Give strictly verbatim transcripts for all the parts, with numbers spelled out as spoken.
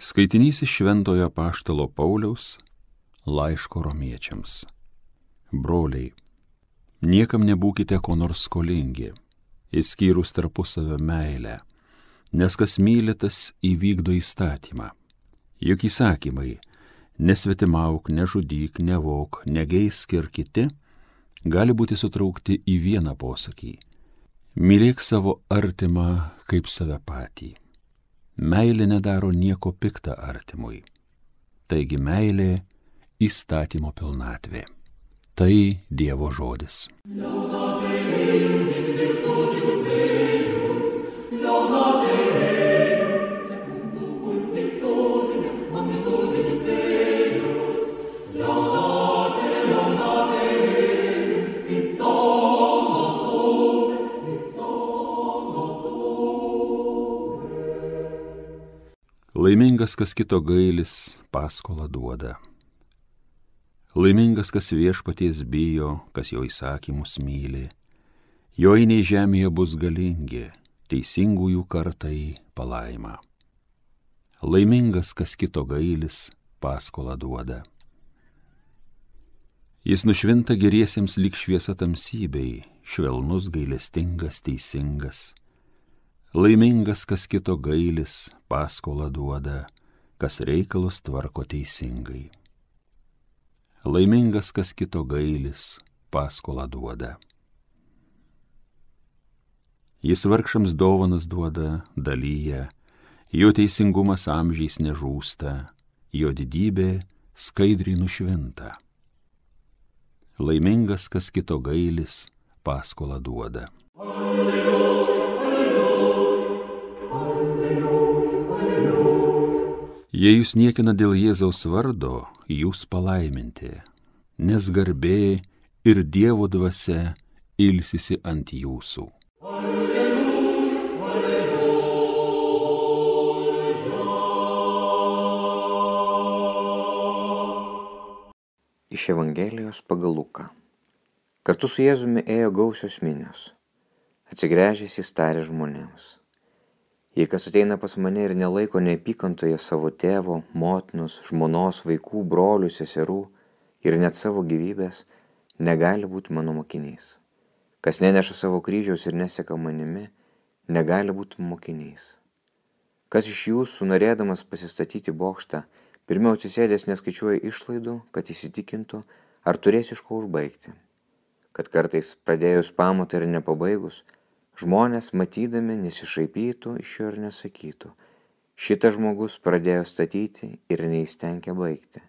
Skaitinys iš Šventojo Apaštalo Pauliaus laiško romiečiams. Broliai, niekam nebūkite ko nors skolingi, išskyrus tarpusavio meilę, nes kas myli, tas įvykdo įstatymą. Juk įsakymai nesvetimauk, nežudyk, nevok, negeisk ir kiti gali būti sutraukti į vieną posakį. Mylėk savo artimą kaip save patį. Meilė nedaro nieko pikta artimui. Taigi meilė įstatymo pilnatvė. Tai Dievo žodis. Laimingas, kas kito gailis, paskolą duoda. Laimingas, kas viešpaties bijo, kas jo įsakymus myli. Jo einiai žemėje bus galingi, teisingųjų kartai palaima. Laimingas, kas kito gailis, paskolą duoda. Jis nušvinta geriesiems lyg šviesa tamsybei, švelnus, gailestingas, teisingas. Laimingas, kas kito gailis, paskolą duoda, kas reikalus tvarko teisingai. Laimingas, kas kito gailis, paskolą duoda. Jis vargšams dovanas duoda, dalyja, jo teisingumas amžiais nežūsta, jo didybė skaidriai nušvinta. Laimingas, kas kito gailis, paskolą duoda. Alleluja. Jei jūs niekina dėl Jėzaus vardo, jūs palaiminti, nes garbė ir Dievo dvasia ilsisi ant jūsų. Alleluja, alleluja. Iš Evangelijos pagal Luką. Kartu su Jėzumi ėjo gausios minios. Atsigręžęs jis tarė žmonėms: Jei kas ateina pas mane ir nelaiko neapykantoje savo tėvo, motinos, žmonos, vaikų, brolių, seserų ir net savo gyvybės, negali būti mano mokiniais. Kas neneša savo kryžiaus ir neseka manimi, negali būti mokiniais. Kas iš jūsų, norėdamas pasistatyti bokštą, pirmiau atsisėdęs neskaičiuoja išlaidų, kad įsitikintų, ar turės iš ko užbaigti. Kad kartais pradėjus pamatą ir nepabaigus, žmonės, matydami, nesišaipytų iš jo ir nesakytų: šitas žmogus pradėjo statyti ir neįstengė baigti.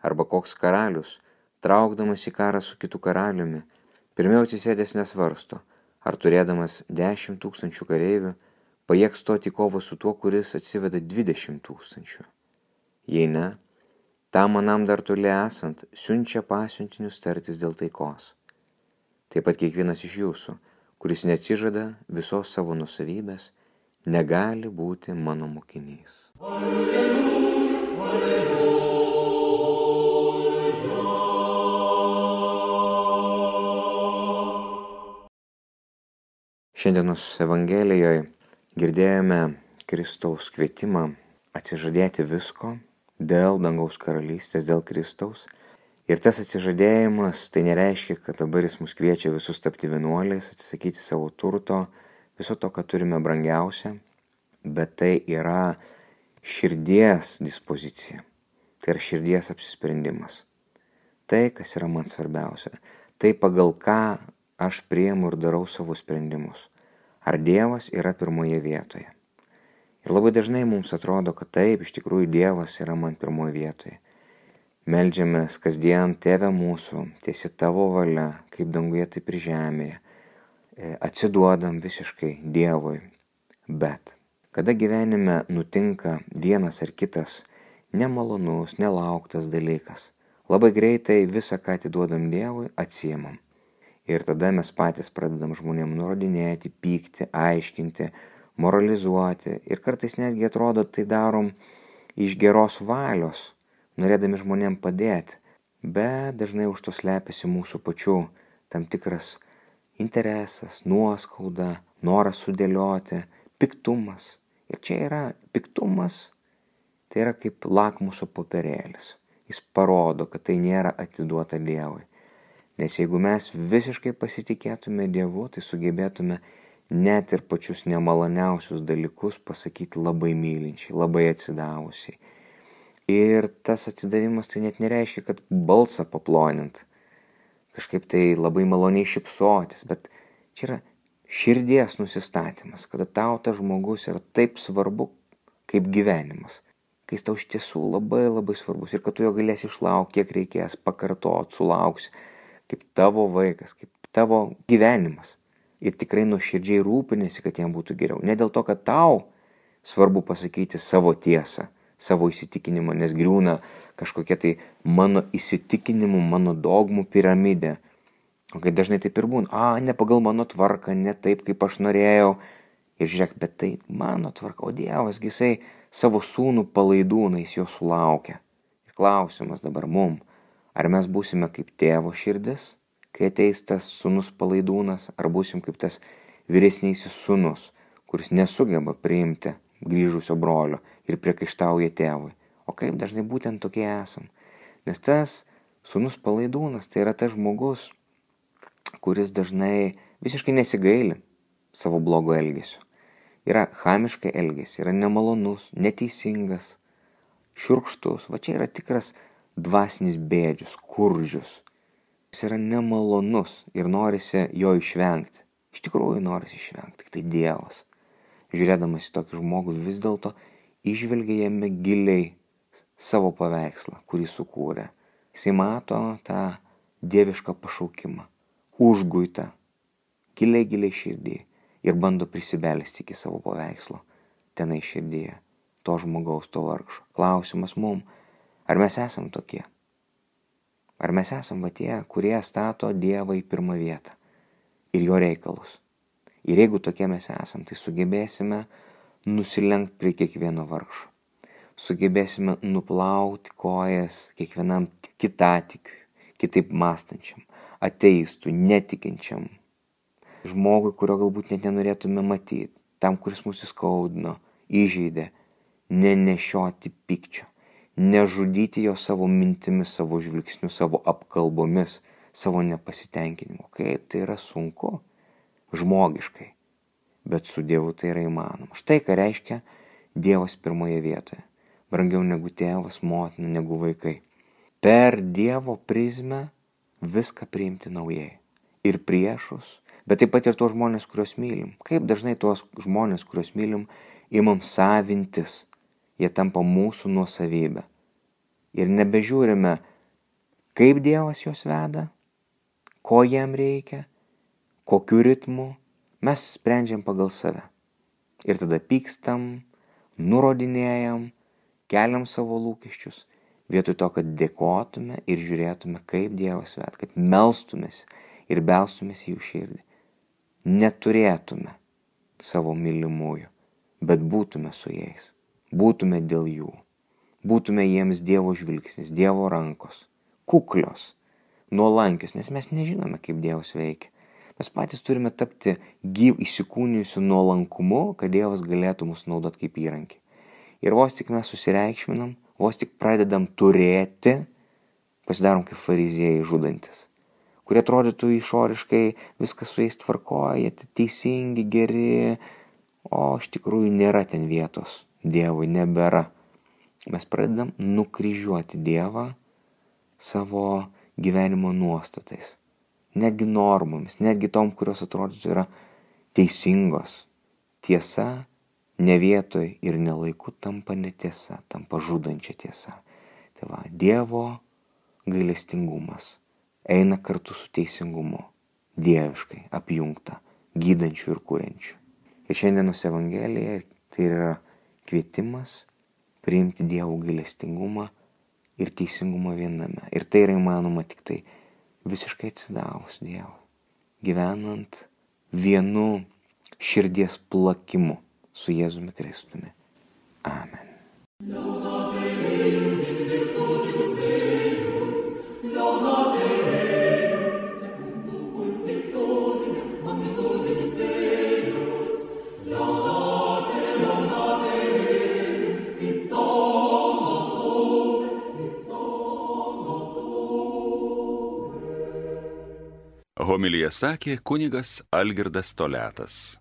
Arba koks karalius, traukdamas į karą su kitu karaliumi, pirmiau atsisėdęs nesvarsto, ar turėdamas dešimt tūkstančių kareivių, pajėgs stoti į kovą su tuo, kuris atsiveda dvidešimt tūkstančių. Jei ne, tam manam dar toli esant, siunčia pasiuntinius tartis dėl taikos. Taip pat kiekvienas iš jūsų, kuris neatsižada visos savo nusavybės, negali būti mano mokiniais. Alleluja, alleluja. Šiandienos Evangelijoje girdėjome Kristaus kvietimą atsižadėti visko dėl dangaus karalystės, dėl Kristaus. Ir tas atsižadėjimas, tai nereiškia, kad dabar jis mus kviečia visus tapti vienuoliais, atsisakyti savo turto, viso to, ką turime brangiausia, bet tai yra širdies dispozicija, tai yra širdies apsisprendimas. Tai, kas yra man svarbiausia, tai pagal ką aš priimu ir darau savo sprendimus. Ar Dievas yra pirmoje vietoje. Ir labai dažnai mums atrodo, kad taip, iš tikrųjų Dievas yra man pirmoje vietoje. Meldžiamės kasdien: Tėve mūsų, tiesi tavo valia, kaip danguje, taip ir žemėje. Atsiduodam visiškai Dievui. Bet kada gyvenime nutinka vienas ar kitas nemalonus, nelauktas dalykas, labai greitai visą, ką atiduodam Dievui, atsiimam. Ir tada mes patys pradedam žmonėm nurodinėti, pykti, aiškinti, moralizuoti. Ir kartais netgi atrodo, tai darom iš geros valios, norėdami žmonėm padėti, bet dažnai už to slepiasi mūsų pačių tam tikras interesas, nuoskauda, noras sudėlioti, piktumas. Ir čia yra piktumas, tai yra kaip lakmuso popierėlis. Jis parodo, kad tai nėra atiduota Dievui. Nes jeigu mes visiškai pasitikėtume Dievu, tai sugebėtume net ir pačius nemaloniausius dalykus pasakyti labai mylinčiai, labai atsidavusiai. Ir tas atsidavimas tai net nereiškia, kad balsą paplonint, kažkaip tai labai maloniai šypsotis, bet čia yra širdies nusistatymas, kada tau tas žmogus yra taip svarbu kaip gyvenimas, kai jis tau iš tiesų labai labai svarbus ir kad tu jo galėsi išlaukti, kiek reikės, pakartot, sulauksi, kaip tavo vaikas, kaip tavo gyvenimas. Ir tikrai nuoširdžiai rūpinėsi, kad jam būtų geriau. Ne dėl to, kad tau svarbu pasakyti savo tiesą, savo įsitikinimą, nes griūna kažkokia tai mano įsitikinimų, mano dogmų piramidė. O kai dažnai taip ir būna, a, ne pagal mano tvarką, ne taip, kaip aš norėjau. Ir žiūrėk, bet tai mano tvarka, o Dievas, jisai savo sūnų palaidūnais jo sulaukia. Ir klausimas dabar mum, ar mes būsime kaip tėvo širdis, kai ateis tas sūnus palaidūnas, ar būsim kaip tas vyresnysis sūnus, kuris nesugeba priimti grįžusio brolio ir priekaištauja tėvui. O kaip dažnai būtent tokie esam. Nes tas sūnus palaidūnas tai yra tas žmogus, kuris dažnai visiškai nesigaili savo blogo elgesio. Yra chamiškai elgesi, yra nemalonus, neteisingas, šiurkštus. Va čia yra tikras dvasinis bėdžius, skurdžius. Jis yra nemalonus ir norisi jo išvengti. Iš tikrųjų norisi išvengti, tik tai Dievas. Žiūrėdamas į tokį žmogų vis dėlto išvelgia jame giliai savo paveikslą, kurį sukūrė. Jisai mato tą dievišką pašaukimą, užguitą, giliai giliai širdį ir bando prisibelsti iki savo paveikslo, tenai širdyje, to žmogaus, to vargšo. Klausimas mum, ar mes esam tokie? Ar mes esam va tie, kurie stato Dievą į pirmą vietą ir jo reikalus? Ir jeigu tokie mes esam, tai sugebėsime nusilenkti prie kiekvieno vargšo. Sugebėsime nuplauti kojas kiekvienam kitatikiui, kitaip mąstančiam, ateistui, netikinčiam, žmogui, kurio galbūt net nenorėtume matyti, tam, kuris mūsų skaudino, įžeidė, nenešioti pykčio. Nežudyti jo savo mintimis, savo žvilgsniu, savo apkalbomis, savo nepasitenkinimu. Kaip tai yra sunku, žmogiškai, bet su Dievu tai yra įmanoma. Štai ką reiškia Dievas pirmoje vietoje. Brangiau negu tėvas, motina, negu vaikai. Per Dievo prizmę viską priimti naujai. Ir priešus, bet taip pat ir tuos žmonės, kuriuos mylim. Kaip dažnai tuos žmonės, kuriuos mylim, imam savintis. Jie tampa mūsų nuosavybė. Ir nebežiūrime, kaip Dievas juos veda, ko jam reikia, kokiu ritmu. Mes sprendžiam pagal save. Ir tada pykstam, nurodinėjam, keliam savo lūkesčius, vietoj to, kad dėkotume ir žiūrėtume, kaip Dievas veda, kad melstumės ir belstumės į jų širdį. Neturėtume savo mylimųjų, bet būtume su jais. Būtume dėl jų, būtume jiems Dievo žvilgsnis, Dievo rankos, kuklios, nuolankios, nes mes nežinome, kaip Dievas veikia. Mes patys turime tapti gyv įsikūnijusiu nuolankumu, kad Dievas galėtų mus naudoti kaip įrankį. Ir vos tik mes susireikšminam, vos tik pradedam turėti, pasidarom kaip fariziejai žudantis, kurie atrodytų išoriškai viskas su jais tvarkoja, teisingi, geri, o iš tikrųjų nėra ten vietos. Dievui nebėra. Mes pradedam nukryžiuoti Dievą savo gyvenimo nuostatais, netgi normomis, netgi tom, kurios atrodytų yra teisingos. Tiesa ne vietoj ir ne laiku tampa netiesa, tampa žudančia tiesa. Tai va, Dievo gailestingumas eina kartu su teisingumu, dieviškai apjungta, gydančių ir kuriančių. Ir šiandienos Evangelija tai yra kvietimas priimti Dievo gailestingumą ir teisingumą viename. Ir tai yra įmanoma tik tai visiškai atsidavus Dievui, gyvenant vienu širdies plakimu su Jėzumi Kristumi. Amen. It's all Homiliją sakė kunigas Algirdas Toliatas.